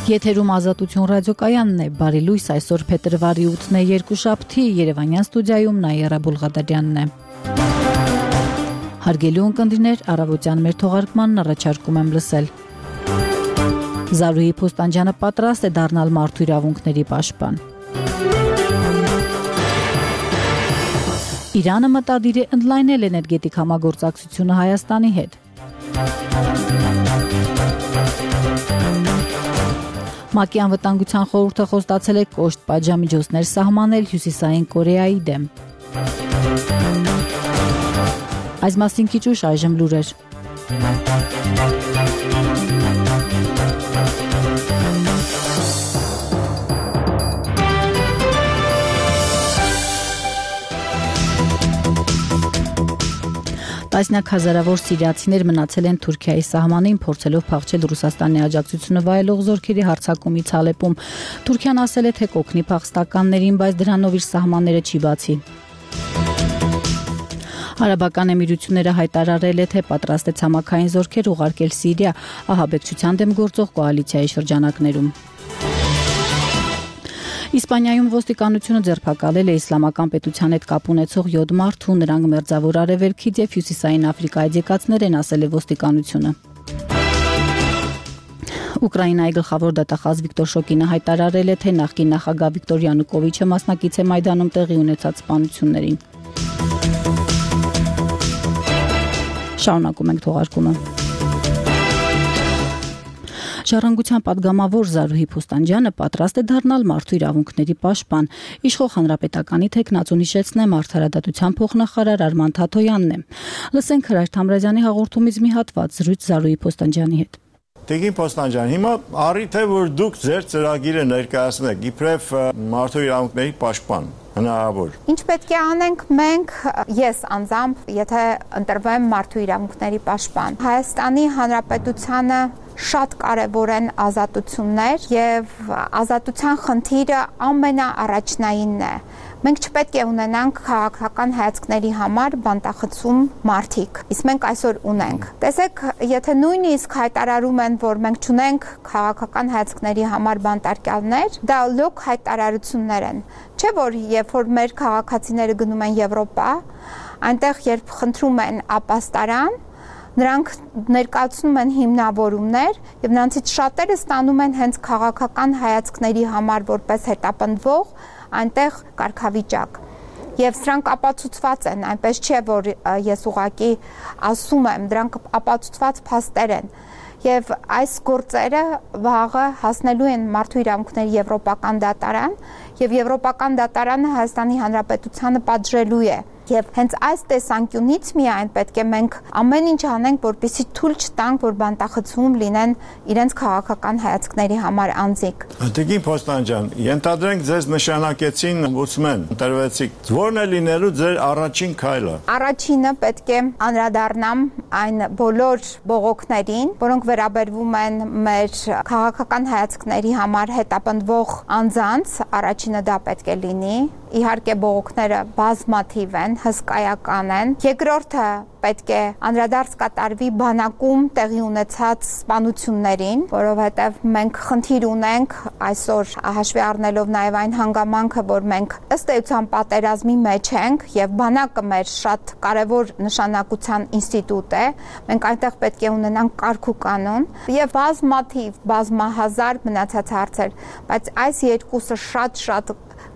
Եթերում Ազատություն ռադիոկայանն է, բարի լույս, այսօր փետրվարի 8-ն է, երկուշաբթի, Երևանյան ստուդիայում Նաիրա Բուլղադարյանն է։ Հարգելի ունկնդիրներ, առավոտյան մեր թողարկմանն առաջարկում եմ լսել։ Զարուհի Փոստանջյանը պատրաստ է դառնալ մարդու իրավունքների պաշտպան։ Իրանը մտադիր է ընդլայնել էներգետիկ համագործակցությունը Հայաստանի հետ։ ՄԱԿ-ի անվտանգության խորհուրդը խոստացել է կոշտ պատժամիջոցներ սահմանել Հյուսիսային Կորեայի դեմ։ Այս մասին քիչ ուշ այժմ լուրեր։ Տասնյակ հազարավոր սիրիացիներ մնացել են Թուրքիայի սահմանին, փորձելով փախչել Ռուսաստանի աջակցությունը վայելող զորքերի հարձակումից Ալեպում։ Թուրքիան ասել է, թե կօգնի փախստականներին, բայց դրանով իր սահմանները չի բացի։ Արաբական Էմիրությունները հայտարարել է, թե պատրաստ է ցամաքային զորքեր ուղարկել Սիրիա ահաբեկչության դեմ գործող կոալիցիայի շրջանակներում։ Իսպանիայում ոստիկանությունը ձերբակալել է իսլամական պետության հետ կապ ունեցող 7 մարդու, նրանք մերձավոր արևելքից եւ հյուսիսային Աֆրիկայից եկածներ են, ասել է ոստիկանությունը։ Ուկրաինայի գլխավոր դատախազ Վիկտոր Շոկինը հայտարարել է, թե նախկին նախագահ Վիկտոր Յանուկովիչը մասնակից է Մայդանում տեղի ունեցած սպանություններին։ Շարունակում ենք թողարկումը։ Ժառանգության պատգամավոր Զարուհի Փոստանջյանը պատրաստ է դառնալ մարդու իրավունքների պաշտպան։ Իշխող հանրապետականի թեկնածուն հիշեցնեմ արդարադատության փոխնախարար Արման Թաթոյանն է։ Լսենք Հրայր Թամրազյանի հաղորդումից մի հատված զրույց Զարուհի Փոստանջյանի հետ։ Տիկին Փոստանջյան, հիմա առիթ է, որ դուք ձեր ծրագիրը ներկայացնեք, իբրև մարդու իրավունքների պաշտպան, հնարավոր։ Ինչ պետք է անենք մենք, ես անձամբ, եթե ընտրվեմ մարդու իրավունքների պաշտպան։ Հայաստանի Հանրապետությանը շատ կարևոր են ազատություններ եւ ազատության խնդիրը ամենաառաջնայինն է։ Մենք չպետք է ունենանք քաղաքական հայացքների համար բանտախցում մարդիկ, իսկ մենք այսօր ունենք։ Տեսեք, եթե նույնիսկ հայտարարում են, որ մենք չունենք քաղաքական հայացքների համար բանտարկյալներ, դա լոկ հայտարարություններ են։ Չէ՞ որ երբ որ մեր քաղաքացիները գնում են Եվրոպա, այնտեղ երբ խնդրում են ապաստարան, նրանք ներկայացնում են հիմնավորումներ եւ նրանցից շատերը ստանում են հենց քաղաքական հայացքների համար որպես հետապնդվող այնտեղ կարգավիճակ։ Եվ սրանք ապացուցված են, այնպես չէ, որ ես ուղղակի ասում եմ, դրանք ապացուցված փաստեր են։ Եվ այս գործերը վաղը հասնելու են մարդու իրավունքների եվրոպական դատարան, եւ եվրոպական դատարանը Հայաստանի Հանրապետությանը պատժելու է։ Եվ հենց այս տեսանկյունից միայն պետք է մենք ամեն ինչ անենք, որպեսզի թույլ չտանք, որ բանտախցում լինեն իրենց քաղաքական հայացքների համար անձիկ։ Տիկին Փոստանջյան, ենթադրենք ձեզ նշանակեցին օմբուդսմեն, ընտրվեցիք։ Ո՞րն է լինելու ձեր առաջին քայլը։ Առաջինը պետք է անդրադառնամ այն բոլոր բողոքներին, որոնք վերաբերվում են մեր քաղաքական հայացքների համար հետապնդվող անձանց, առաջինը դա պետք է լինի։ Իհարկե բողոքները բազմաթիվ են, հսկայական են։ Երկրորդը պետք է անդրադարձ կատարվի բանակում տեղի ունեցած սպանություններին, որովհետև մենք խնդիր ունենք այսօր հաշվի առնելով նաև այն հանգամանքը, որ մենք ըստ էության պատերազմի մեջ ենք եւ բանակը մեր շատ կարևոր նշանակության ինստիտուտ է, մենք այնտեղ պետք է ունենանք կարգ ու կանոն եւ բազմաթիվ, բազմահազար մնացած հարցեր, բայց այս երկուսը շատ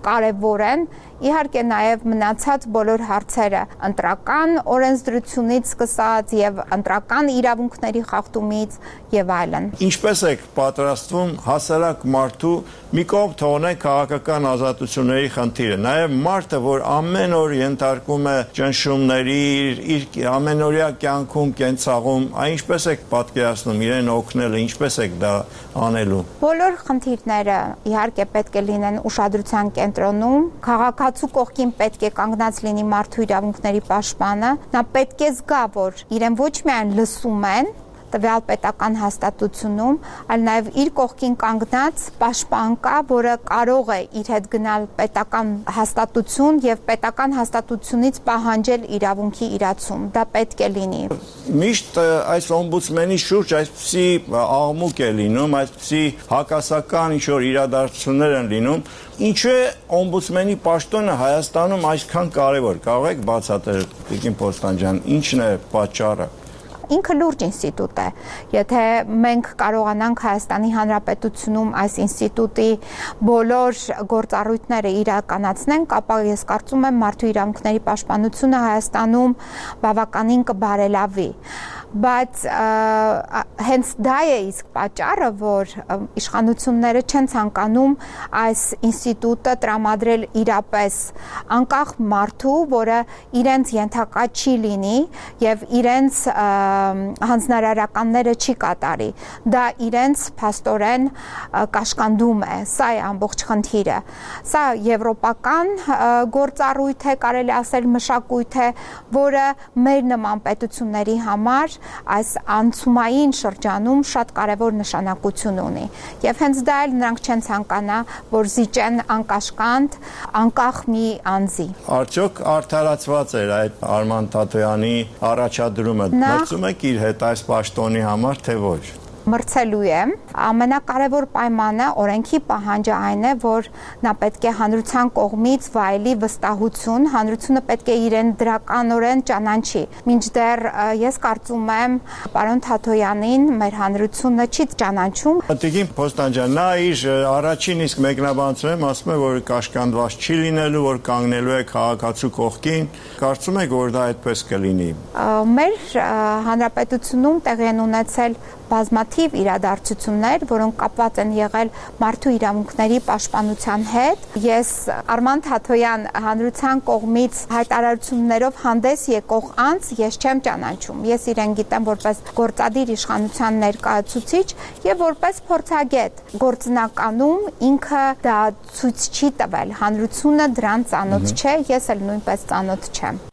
կարևոր են, իհարկե նաև մնացած բոլոր հարցերը ընտրական օրենսդրությունից սկսած եւ ընտրական իրավունքների խախտումից եւ այլն։ Ինչպես եք պատրաստվում հասարակ մարդու մի կողմ թողնենք քաղաքական ազատությունների խնդիրը, նաև մարդը, որ ամեն օր ենթարկվում է ճնշումների, իր ամենօրյա կյանքում կենցաղում, ինչպես եք պատկերացնում իրեն օգնելը, ինչպես եք դա անելու։ Բոլոր խնդիրները իհարկե պետք է լինեն ուշադրության կենտրոնում, քաղաքացու կողքին պետք է կանգնած լինի մարդու իրավունքների պաշտպանը, նա պետք է զգա, որ իրեն ոչ միայն լսում են, տվյալ պետական հաստատությունում, այլ նաև իր կողքին կանգնած պաշտպան կա, որը կարող է իր հետ գնալ պետական հաստատություն եւ պետական հաստատությունից պահանջել իրավունքի իրացում։ Դա պետք է լինի։ Միշտ այս օմբուդսմենի շուրջ այսպիսի աղմուկ է լինում, այսպիսի հակասական ինչ-որ իրադարձություններ են լինում։ Ինչու է օմբուդսմենի պաշտոնը Հայաստանում այսքան կարևոր։ Կարող եք բացատրել, Տիկին Պոստան ջան, ինչն է պատճառը։ Ինքը լուրջ ինստիտուտ է։ Եթե մենք կարողանանք Հայաստանի Հանրապետությունում այս ինստիտուտի բոլոր գործառույթները իրականացնենք, ապա ես կարծում եմ մարդու իրավունքների պաշտպանությունը Հայաստանում բավականին կբարելավի։ Բայց հենց դա է իսկ պատճառը, որ իշխանությունները չեն ցանկանում այս ինստիտուտը տրամադրել իրապես անկախ մարդու, որը իրենց ենթակա չի լինի եւ իրենց հանձնարարականները չի կատարի։ Դա իրենց փաստորեն կաշկանդում է։ Սա է ամբողջ խնդիրը։ Սա եվրոպական գործառույթ է, կարելի ասել մշակույթ է, որը մեր նման պետությունների համար այս անցումային շրջանում շատ կարևոր նշանակություն ունի։ Եվ հենց դա էլ նրանք չեն ցանկանա, որ զիջեն անկաշկանդ, անկախ մի անձի։ Արդյոք արդարացված էր այդ Արման Թաթոյանի առաջադրումը։ Մրցում եք իր հետ այս պաշտոնի համար, թե ոչ։ Մրցելու է։ Ամենակարևոր պայմանը օրենքի պահանջը այն է, որ նա պետք է հանրության կողմից վայելի վստահություն, հանրությունը պետք է իրեն դրականորեն ճանաչի։ Մինչդեռ ես կարծում եմ, պարոն Թաթոյանին մեր հանրությունը չի ճանաչում։ Տիկին Պոստան ջան, նա իր առաջին իսկ մեկնաբանությունում ասում է, որ կաշկանդված չի լինելու, որ կանգնելու է քաղաքացու կողքին։ Կարծում եք, որ դա այդպես կլինի։ Մեր հանրապետությունում տեղի են ունեցել բազմաթիվ իրադարձություններ, որոնք կապված են եղել մարդու իրավունքների պաշտպանության հետ։ Ես Արման Թաթոյան հանրության կողմից հայտարարություններով հանդես եկող անձ ես չեմ ճանաչում։ Ես իրեն գիտեմ որպես գործադիր իշխանության ներկայացուցիչ եւ որպես փորձագետ։ Գործնականում ինքը դա ցույց չի տվել։ Հանրությունը դրան ծանոթ չէ, ես էլ նույնպես ծանոթ չեմ։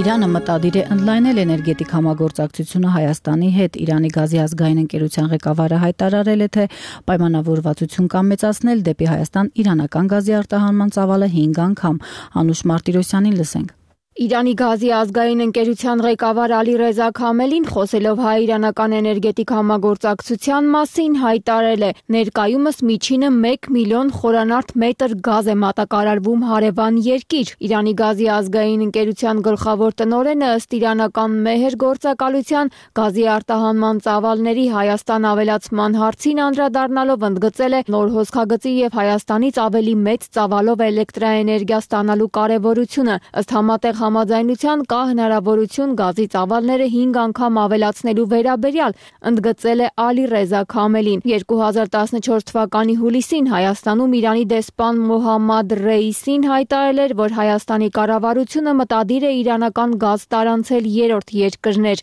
Իրանը մտադիր է ընդլայնել էներգետիկ համագործակցությունը Հայաստանի հետ։ Իրանի գազի ազգային ընկերության ղեկավարը հայտարարել է, թե պայմանավորվածություն կա մեծացնել դեպի Հայաստան իրանական գազի արտահանման ծավալը 5 անգամ։ Անուշ Մարտիրոսյանին լսենք։ Իրանի գազի ազգային ընկերության ղեկավար Ալիրեզա Քամելին խոսելով հայ-իրանական էներգետիկ համագործակցության մասին հայտարարել է. ներկայումս միջինը 1 միլիոն խորանարդ մետր գազ է մատակարարվում հարևան երկիր։ Իրանի գազի ազգային ընկերության գլխավոր տնօրենը ըստ իրանական Մեհեր գործակալության գազի արտահանման ծավալների Հայաստան ավելացման հարցին անդրադառնալով ընդգծել է նոր հոսքագծի եւ Հայաստանից ավելի մեծ ծավալով էլեկտրաէներգիա ստանալու կարեւորությունը։ Ըստ համատեղ համաձայնության կա հնարավորություն գազի ծավալները 5 անգամ ավելացնելու վերաբերյալ, ընդգծել է Ալիրեզա Քամելին։ 2014 թվականի հուլիսին Հայաստանում Իրանի դեսպան Մոհամմադ Ռեյիսին հայտարարել էր, որ Հայաստանի կառավարությունը մտադիր է իրանական գազ տարանցել երրորդ երկրներ։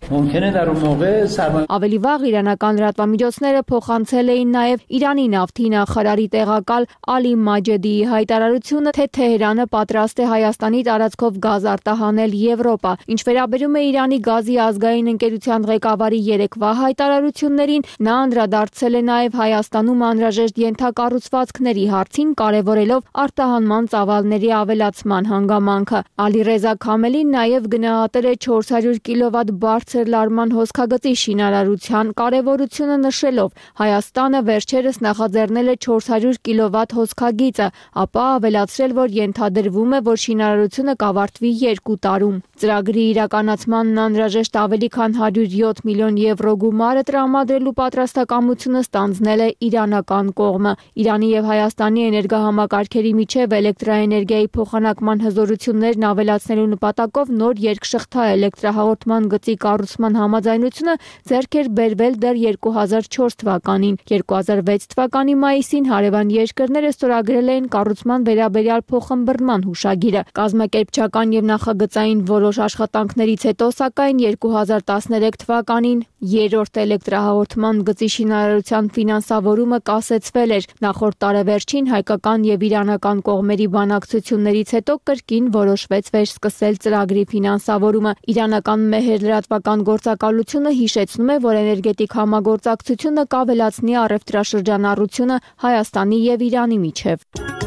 Ավելի վաղ իրանական լրատվամիջոցները փոխանցել էին նաև Իրանի նավթի նախարարի տեղակալ Ալի Մաջեդիի հայտարարությունը, թե Թեհրանը պատրաստ է Հայաստանի տարածքով գազ արտահանել Եվրոպա։ Ինչ վերաբերում է Իրանի գազի ազգային ընկերության ղեկավարի երեկվա հայտարարություններին, նա անդրադարձել է նաև Հայաստանում անհրաժեշտ ենթակառուցվածքների հարցին, կարևորելով արտահանման ծավալների ավելացման հանգամանքը։ Ալիրեզա Քամելին նաև գնահատել է 400 կիլովատ բարձր լարման հոսքագծի շինարարության կարևորությունը, նշելով. Հայաստանը վերջերս նախաձեռնել է 400 կիլովատ հոսքագիծը, ապա ավելացրել, որ ենթադրվում է, որ շինարարությունը կավարտվի 2 տարում։ Ծրագրի իրականացմանն անհրաժեշտ ավելի քան 107 միլիոն եվրո գումարը տրամադրելու պատրաստակամությունը ստանձնել է իրանական կողմը։ Իրանի եւ Հայաստանի էներգահամակարգերի միջև էլեկտրաէներգիայի փոխանակման հզորություններն ավելացնելու նպատակով նոր երկշղթա էլեկտրահաղորդման գծի կառուցման համաձայնությունը ձեռք էր բերվել դեռ 2004 թվականին։ 2006 թվականի մայիսին հարևան երկրները ստորագրել էին կառուցման վերաբերյալ փոխըմբռնման հուշագիրը։ Կազմակերպչական եւ նախագծային որոշ աշխատանքներից հետո, սակայն 2013 թվականին երրորդ էլեկտրահաղորդման գծի շինարարության ֆինանսավորումը կասեցվել էր։ Նախորդ տարեվերջին հայկական եւ իրանական կողմերի բանակցություններից հետո կրկին որոշվեց վերսկսել ծրագրի ֆինանսավորումը։ Իրանական մեհեր լրատվական գործակալությունը հիշեցնում է, որ էներգետիկ համագործակցությունը կավելացնի առևտրաշրջանառությունը Հայաստանի եւ Իրանի միջև։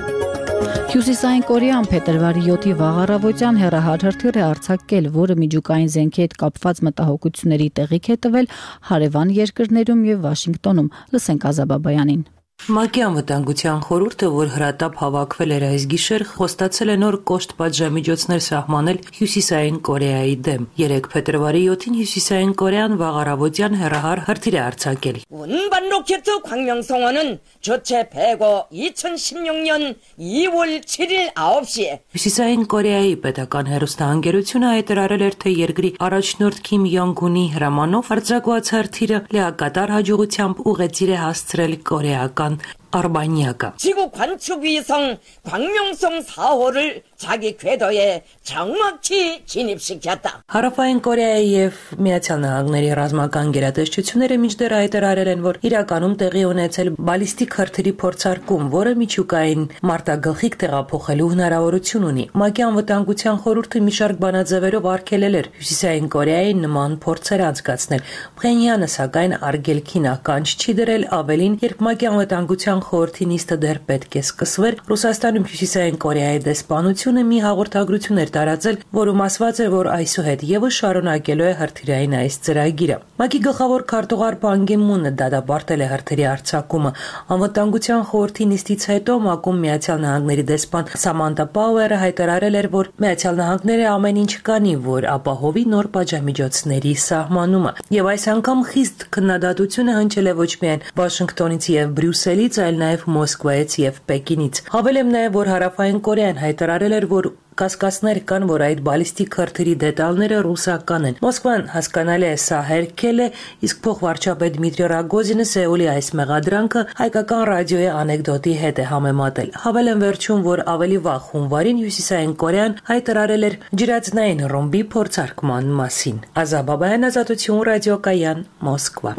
Հյուսիսային Կորեան փետրվարի 7-ի վաղ առավոտյան հեռահար հրթիռ է արձակել, որը միջուկային զենքի հետ կապված մտահոգությունների տեղիք է տվել հարևան երկրներում եւ Վաշինգտոնում։ Լսենք Ազաբաբայանին։ ՄԱԿ-ի անվտանգության խորհուրդը, որ հրատապ հավաքվել էր այս գիշեր, խոստացել է նոր կոշտ պատժամիջոցներ սահմանել Հյուսիսային Կորեայի դեմ։ 3 փետրվարի 7-ին Հյուսիսային Կորեան վաղ առավոտյան հեռահար հրթիռ է արձակել։ 운반 로켓 광명성어는 주체 폐고 2016년 2월 7일 9시에 Հյուսիսային Կորեայի պետական հեռուստաընկերությունը հայտարարել էր, թե երկրի առաջնորդ Քիմ Յոնգ-ունի հրամանով արձակված հրթիռը լիակատար հաջողությամբ ուղեծիր է հասցրել կորեական Արբանյակը։ 지구 관측 위성 광명성 4호를 자기 궤도에 정확히 진입시켰다. Հարավային Կորեայի եւ Միացյալ Նահանգների ռազմական գերատեսչությունները մինչդեռ հայտարարել են, որ իրականում տեղի ունեցել բալիստիկ հրթիռի փորձարկում, որը միջուկային մարտագլխիկ տեղափոխելու հնարավորություն ունի։ ՄԱԿ-ի անվտանգության խորհուրդը մի շարք բանաձևերով արգելել էր Հյուսիսային Կորեային նման փորձեր անցկացնել։ Փխենյանը սակայն արգելքին ականջ չի դրել, ավելին, երբ ՄԱԿ-ի անվտանգության խորհրդի նիստը դեռ պետք է սկսվեր, Ռուսաստանում Հյուսիսային Կորեայի դեսպանությունը մի հաղորդագրություն էր տարածել, որում ասված էր, որ այսուհետ եւս շարունակելու է հրթիռային այս ծրագիրը։ ՄԱԿ-ի գլխավոր քարտուղար Պան Գի Մունը դատապարտել է հրթիռի արձակումը։ Անվտանգության խորհրդի նիստից հետո ՄԱԿ-ում Միացյալ Նահանգների դեսպան Սամանթա Պաուերը հայտարարել էր, որ Միացյալ Նահանգները ամեն ինչ կանի, որ ապահովի նոր պատժամիջոցների սահմանումը։ Եվ այս անգամ խիստ քննադատությունը հնչել է ոչ միայն Վաշինգտոնից եւ Բրյուսելից, այլ նաև Մոսկվայից եւ Պեկինից։ Հավելեմ նաև, որ Հարավային Կորեան հայտարարել էր, որ կասկածներ կան, որ այդ բալիստիկ հրթիռի դետալները ռուսական են։ Մոսկվան հասկանալի է սա հերքել է, իսկ փոխվարչապետ Դմիտրի Ռագոզինը Սեուլի այս մեղադրանքը հայկական ռադիոյի անեկդոտի հետ է համեմատել։ Հավելեմ վերջում, որ ավելի վաղ հունվարին Հյուսիսային Կորեան հայտարարել էր ջրածնային ռումբի փորձարկման մասին։ Ազաբաբայան, Ազատություն, ռադիոկայան, Մոսկվա։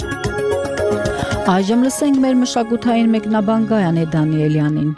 Այժմ լսենք մեր մշակութային մեկնաբան Գայանե Դանիելյանին։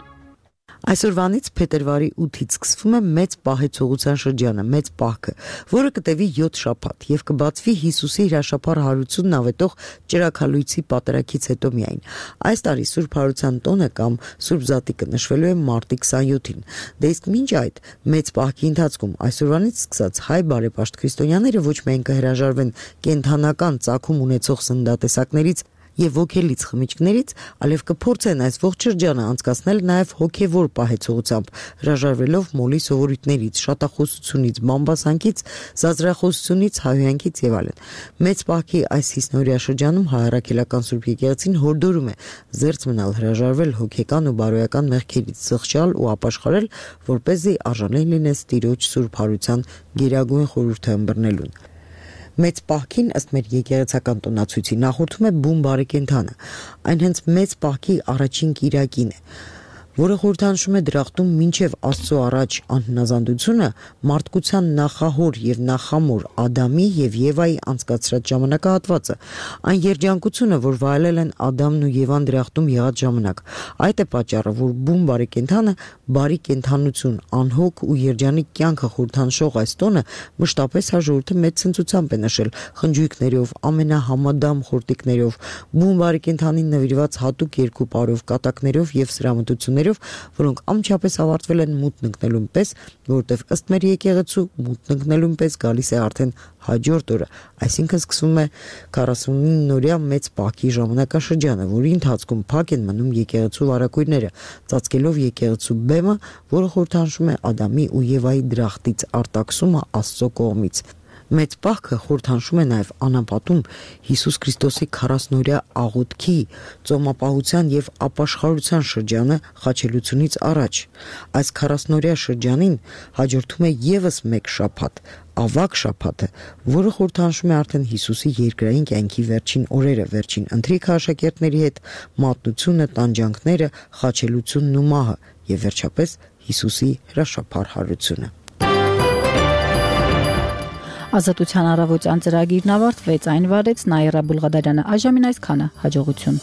Այսօրվանից փետրվարի 8-ից սկսվում է մեծ պահեցողության շրջանը, մեծ պահքը, որը կտևի 7 շաբաթ եւ կբացվի Հիսուսի հրաշափառ հարությունն ավետող ճրագալույցի պատարագից հետո միայն։ Այս տարի Սուրբ Հարության տոնը կամ Սուրբ Զատիկը նշվելու է մարտի 27-ին։ Դե իսկ մինչ այդ մեծ պահքի ընթացքում այսօրվանից սկսած հայ բարեպաշտ քրիստոնյաները ոչ միայն կհրաժարվեն կենթանական ծագում ունեցող սննդատեսակներից եւ ոգելից խմիչքներից, այլև կփորձեն այս ողջ շրջանը անցկացնել նաեւ հոգեվոր պահեցողությամբ, հրաժարվելով մոլի սովորույթներից, շատախոսությունից, բամբասանքից, զազրախոսությունից, հայհոյանքից եւ այլն։ Մեծ պահքի այս հիսնորյա շրջանում հայարակելական Սուրբ Եկեղեցին հորդորում է զերծ մնալ, հրաժարվել հոգեկան ու բարոյական մեղքերից, զղջալ ու ապաշխարել, որպեսզի արժանեն լինես Տիրոջ Սուրբ Հարության գերագույն խորհուրդը ըմբռնելուն։ Մեծ պահքին ըստ մեր եկեղեցական տոնացույցի նախորդում է բուն բարեկենդանը։ Այն հենց մեծ պահքի առաջին կիրակին է, որը խորհրդանշում է դրախտում մինչև Աստծո առաջ անհնազանդությունը մարդկության նախահոր եւ նախամոր Ադամի եւ Եվայի անցկացրած ժամանակահատվածը, այն երջանկությունը, որ վայելել են Ադամն ու Եվան դրախտում եղած ժամանակ։ Այդ է պատճառը, որ բուն բարեկենդանը բարի կենդանություն, անհոգ ու երջանիկ կյանքը խորհրդանշող այս տոնը մշտապես հաջորդը մեծ ցնծությամբ է նշել խնջույքներով, ամենահամադամ խորտիկներով, բուն բարեկենդանին նվիրված հատուկ երկու պարով, կատակներով եւ սրամտություններով, որոնք ամչապես ավարտվել են մութն ընկնելուն պես, որտեղ ըստ մեր եկեղեցու մութն ընկնելուն պես գալիս է արդեն հաջորդ օրը, այսինքն սկսվում է 49-օրյա մեծ պահքի ժամանակաշրջանը, որի ընթացքում փակ են մնում եկեղեցու վարակույրները, ծածկելով եկեղեցու բեմը, որը խորհրդանշում է Ադամի ու Եվայի դրախտից արտաքսումը Աստծո կողմից։ Մեծ պահքը խորհրդանշում է նաև անապատում Հիսուս Քրիստոսի 40-օրյա աղոթքի, ծոմապահության եւ ապաշխարության շրջանը խաչելությունից առաջ։ Այս 40-օրյա շրջանին հաջորդում է եւս մեկ շաբաթ, ավակ շաբաթը, որը խորհրդանշում է արդեն Հիսուսի երկրային կյանքի վերջին օրերը, վերջին ընթրիքը աշակերտների հետ, մատնությունը, տանջանքները, խաչելությունն ու մահը եւ վերջապես Հիսուսի հրաշափառ հարությունը։ Ազատության առավոտյան ծրագիրն ավարտվեց, այն վարեց Նաիրա Բուլղադարյանը, այժմին այսքանը, հաջողություն։